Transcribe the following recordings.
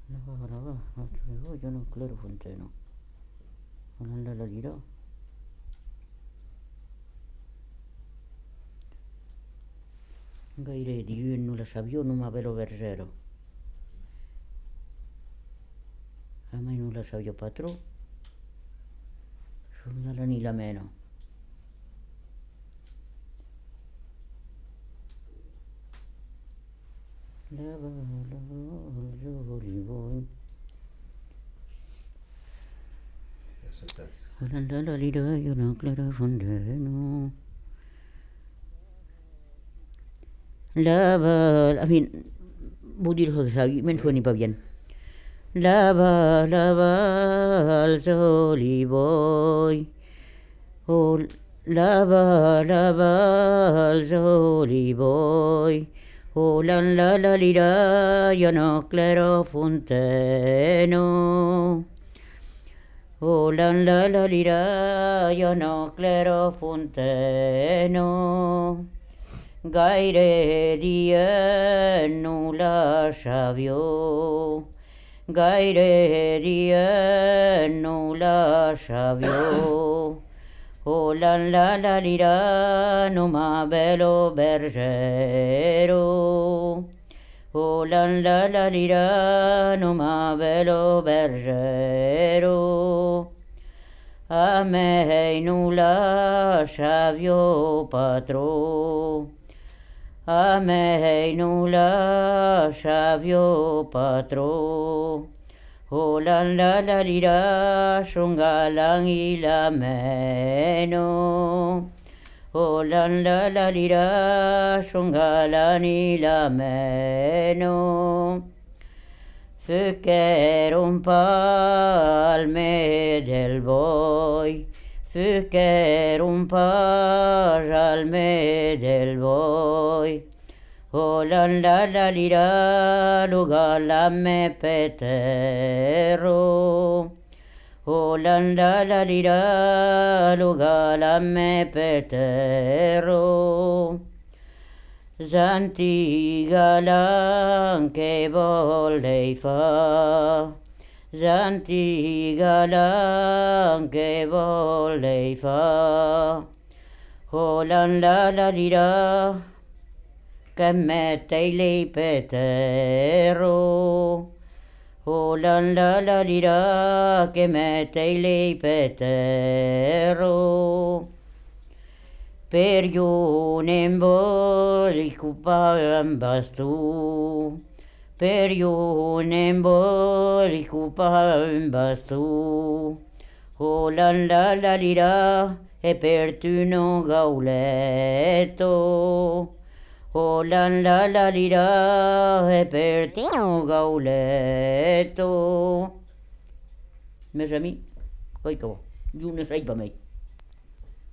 Yo no claro Fonteno. Non la dirò. Gaire di non la savió, non m'avero verzero. A mai non la savió patró. Sono la ni la meno. Lava, giovani voi. La lira, io non claro Fonteno. Lava, a fin, vull dir-ho de savi, me'n sueni pa bien. Lava, lava als olivoi. Oh, lava, lava als olivoi. Oh, la lira, io no claro Fonteno. Oh, la lira, io no claro Fonteno. Gaire dia no la savió. Gaire dia no la savió. Oh, la lira, no ma bello bergero. Oh, la lira, no ma bello bergero. A me no la savió patró. A me no la savió patró. Oh, la lira, son galán y la meno. Oh, la lira, son galán y la meno. Fyker un palme del boi. Fyker un palme del boi. Oh, la lira, luga la me petero. Oh, la lira, luga la me petero. Zanti galan che vollei fa. Zanti galan che vollei fa. Oh, la lira, che mette lei petero. Oh, la lira, che mette lei petero. Per io ne voglio cupare un bastù. Per io ne voglio cupare un bastù. Oh, la lira, e per tu non gauletto. Oh, la lira, e per tu non gauletto. Mes amis, coi que io ne sai pa mai.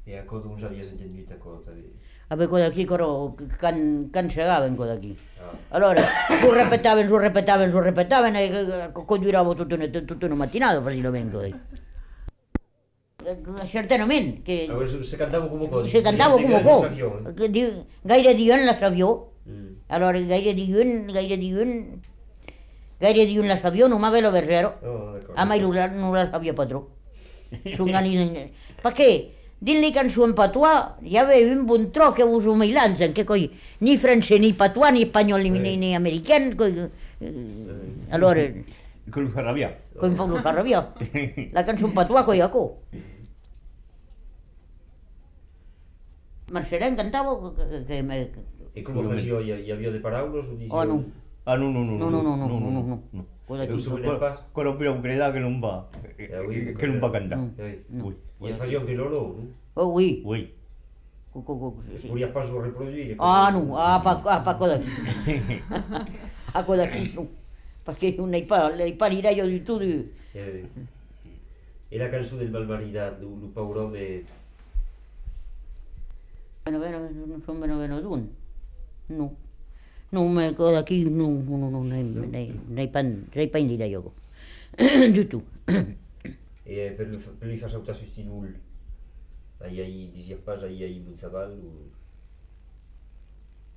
E a cosa non savies entendut a cosa? Vabbè, quello aquí, can segaven quello aquí. Allora, su repetaven, e congiuravo tutta una mattinata facilmente così. Certament, che Se cantava come cosa? se cantava come co, gaire diuen la savió. Allora, gaire diuen la savió, non m'aveva verzero. A mai non la savió patró. Perché? Din le cançons patois, hi havia un bon tro que us ho mailanzen, que coi, ni francès, ni patois, ni espanyol, ni american, coi... Allora... Con lo farrabià. Con lo farrabià. La cançó patois coi acò. Marcelin cantava que... E com facía? Hi havia de paraules o dicía? Oh, no. Ah, no. No. Con la priorità che non va, che non va cantare. E facía un criollo, non? Oh, oui. Oui. Podia pas o reproduire? Ah, no, pa cosa aquí. A cosa aquí, no. Perché non hai pa l'idea di tutto. E la cançó del malmaridat, lo paur home... Non sono bene d'un. No. Non cosa aquí, no, n'hai pa idea io. Du tout. E per lui far saltar su stinul, ahí dicía pas, ahí Bunzaval,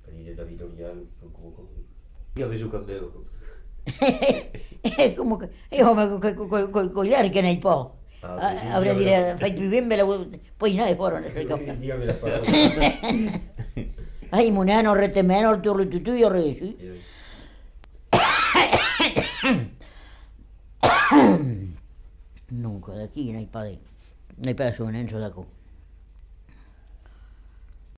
ahí de la Vitorial, como... Io avevo cambiato. Como que io con gli altri che nei po'. Avrei dire fai più ben me la poi ne fuori ne sei capace. Ai muneno rete meno tu io resi. Nunca da chi nei pare. Nei persone non so da co.